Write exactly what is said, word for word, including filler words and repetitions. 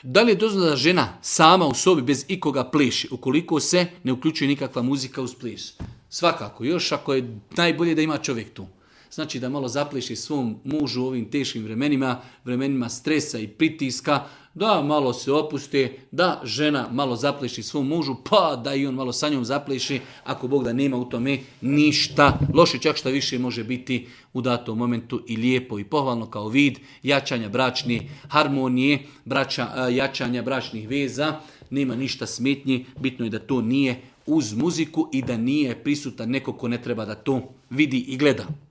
Da li je dozvoljeno da žena sama u sobi bez ikoga pleši, ukoliko se ne uključuje nikakva muzika uz ples? Svakako, još ako je najbolje da ima čovjek tu. Znači da malo zapleši svom mužu u ovim teškim vremenima, vremenima stresa i pritiska, da malo se opuste, da žena malo zapleši svom mužu, pa da i on malo sa njom zapleši, ako Bog da nema u tome ništa loše, čak šta više može biti u datom momentu i lijepo i pohvalno kao vid jačanja bračne harmonije, braća, jačanja bračnih veza, nema ništa smetnji, bitno je da to nije uz muziku i da nije prisutan neko ko ne treba da to vidi i gleda.